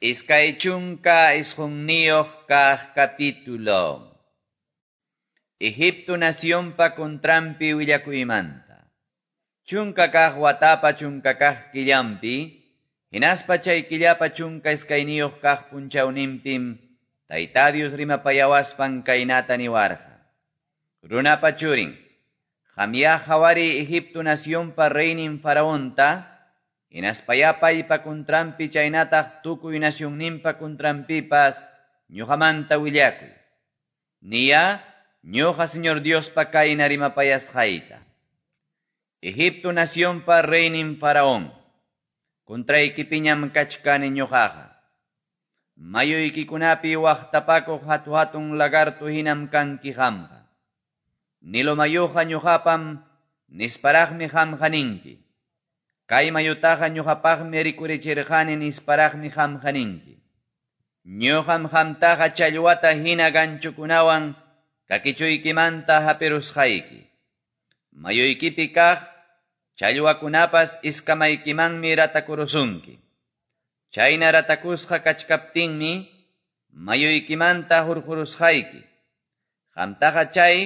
29 kaq capítulo. Egipto nacionpa contranpi willakuymanta. 10 kaq watapa 10 kaq killampi, hinaspa chay killapa 12 kaq punchawninpim, Tayta Dios rimapayawaspan kaynata niwarqa. Runapa churin, qamyá qhawariy Egipto nacionpa reynin faraonta, hinaspayá paypa contranpi chaynataq tukuy nacionninpa contranpipas ñuqamanta willakuy. Niyá ñuqa Señor Diospa kayna rimapayasqayta. Egipto nacionpa reynin faraón, contraykipiñam kachkani ñuqaqa. Mayuykikunapi waqtapakuq hatu-hatun lagarto hinam kanki qamqa. Nilo mayuqa ñuqapam nisparaqmi qamqa ninki. Kay mayutaqa ñuqapaqmi rikurichirqani nisparaqmi qamqa ninki. Ñuqam qamtaqa challwata hina ganchukunawan kakichuykimanta hapirusqayki. Mayuykipi kaq challwakunapas iskamaykimanmi ratakurusunki. Chayna ratakusqa kachkaptinmi mayuykimanta hurqurusqayki. Qamtaqa chay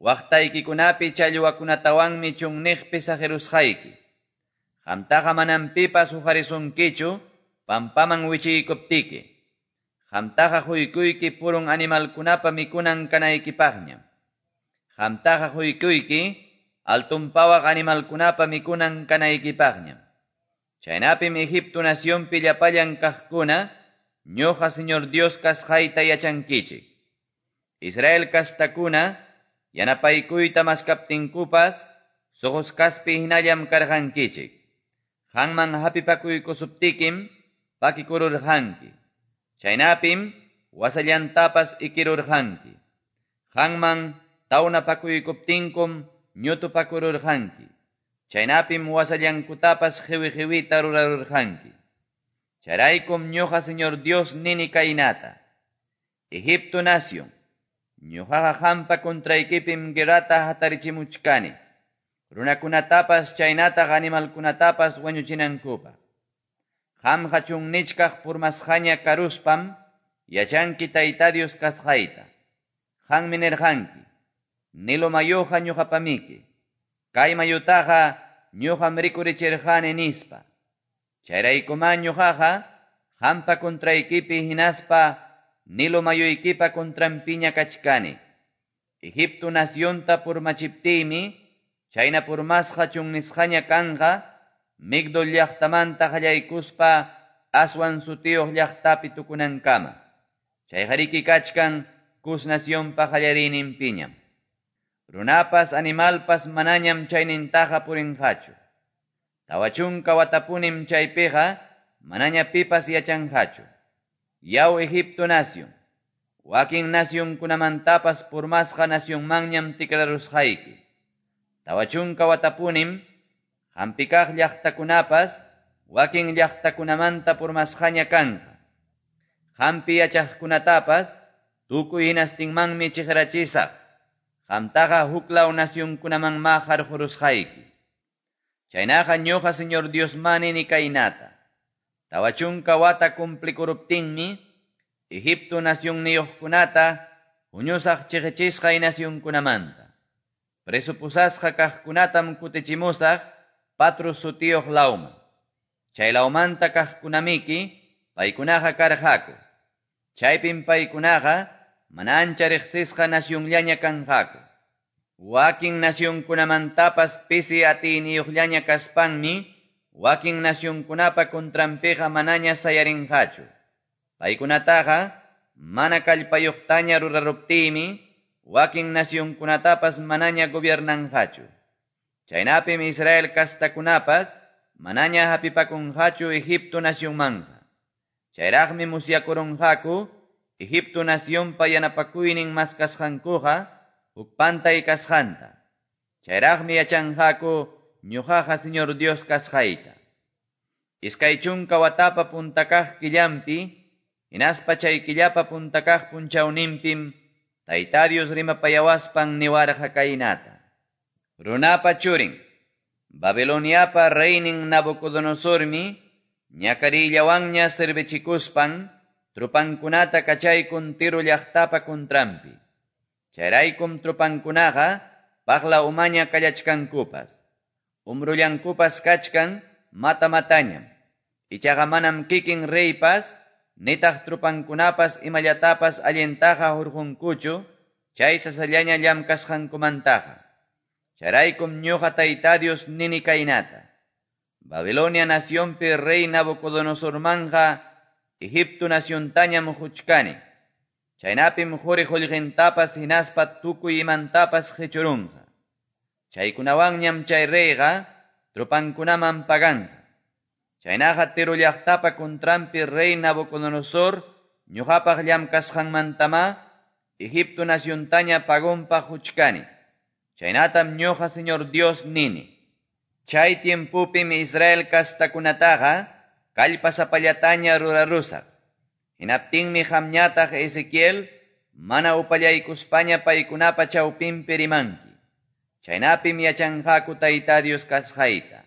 waqtaykikunapi challwakunatawanmi chunniqpi saqirusqayki. Qamtaqa manam pipas huqarisunkichu pampaman wichiykuptiki. Qamtaqa quykuyki purun animalkunapa mikunan kanaykipaqñam. Qamtaqa quykuyki altunpawaq animalkunapa mikunan kanaykipaqñam. Chaynapim Egipto nacionpi llapallan kaqkuna ñuqa Señor Dios kasqayta yachankichik. Israel kastakuna yanapaykuyta maskaptinkupas suqusqaspi hinallam karqankichik. Qamman hapipakuykusuptikim pakikururqanki. Chaynapim wasallantapas ikirurqanki. Qamman tawnapakuykuptinkum ñutupakururqanki. Chaynapim wasallankutapas qiwi-qiwita rurarurqanki. Chayraykum ñuqa Señor Dios nini kaynata. Egipto nación, ñuqaqa qampa contraykipim guerrata hatarichimuchkani. Runakunatapas chaynataq animalkunatapas wañuchinankupaq. Qamqa chunnichkaq purmasqaña karuspam yachanki Tayta Dios kasqayta. Qammi nirqanki, Nilo mayuqa ñuqapamiki. Kay mayutaqa ñuqam rikurichirqani nispa. Chayraykumá ñuqaqa qampa contraykipi hinaspa Nilo mayuykipa contranpiña kachkani. Egipto nacionta purmachiptiymi chayna purmasqa chunnisqaña kanqa Migdol llaqtamanta qallaykuspa Aswan sutiyuq llaqtapi tukunankama. Chayqariki kachkan Cus nacionpa qallariyninpiñam. Runapas animalpas manañam chaynintaqa purinqachu. 40 watapunim chaypiqa manaña pipas yachanqachu. Yaw Egipto nación, wakin nacionkunamantapas purmasqa nacionmanñam tikrarusqayki. 40 watapunim qampi kaq llaqtakunapas wakin llaqtakunamanta purmasqaña kanqa. Qampi yachaqkunatapas tukuy hinastinmanmi chiqrachisaq. Qamtaqa huklaw nacionkunamanmá qarqurusqayki. Chaynaqa ñuqa Señor Diosmá nini kaynata. 40 wata cumplikuruptinmi Egipto nacionniyuqkunata huñusaq chiqichisqay nacionkunamanta. Preso pusasqa kaqkunatam kutichimusaq Patros sutiyuq lawman. Chay lawmanta kaqkunamiki paykunaqa karqaku. Chaypim paykunaqa mana ancha riqsisqa nacionllaña kanqaku. Wakin nacionkunamantapas pisi atiyniyuqllaña kaspanmi wakin nacionkunapa contranpiqa manaña sayarinqachu. Paykunataqa mana kallpayuqtaña ruraruptiymi wakin nacionkunatapas manaña gobiernanqachu. Chaynapim Israel kastakunapas manaña hapipakunqachu Egipto nacionmanqa. Chayraqmi musyakurunqaku Egipto nacionpa yanapakuynin maskasqankuqa huk pantay kasqanta. Chayraqmi yachanqaku ñuqaqa Señor Dios kasqayta. 20 watapa punta kaq killampi, hinaspa chay killapa punta kaq punchawninpim Tayta Dios rimapayawaspan niwarqa kaynata. Runapa churin, Babiloniapa reynin Nabucodonosormi Ñakariyllawanña servichikuspan tropankunata kachaykun Tiro llaqtapa contranpi. Chayraykum tropankunaqa paqla umaña kallachkankupas. Umrullankupas kachkan mata-matañam. Ichaqa manam kikin reypas, nitaq tropankunapas imallatapas allintaqa hurqunkuchu, chay sasallaña llamkasqankumantaqa. Chayraykum ñuqa Tayta Dios nini kaynata. Babilonia nacionpi rey Nabucodonosormanja Egipto naciontañam huchkani. Chaynapim quri qullqintapas hinaspa tukuy imantapas qichurunqa. Chaykunawanñam chay reyqa tropankunaman paganqa. Chaynaqa Tiro llaqtapa contranpi rey Nabucodonosor ñuqapaq llamkasqanmantama Egipto naciontaña pagonpaq huchkani. Chaynatam ñuqa Señor Dios nini. Chay tiempupim Israel kastakunataqa kallpasapallataña rurarusaq. Hinaptinmi qamñataq Ezequiel mana upallaykuspaña paykunapa chawpinpi rimanki. Chaynapim yachanqaku Tayta Dios kasqayta.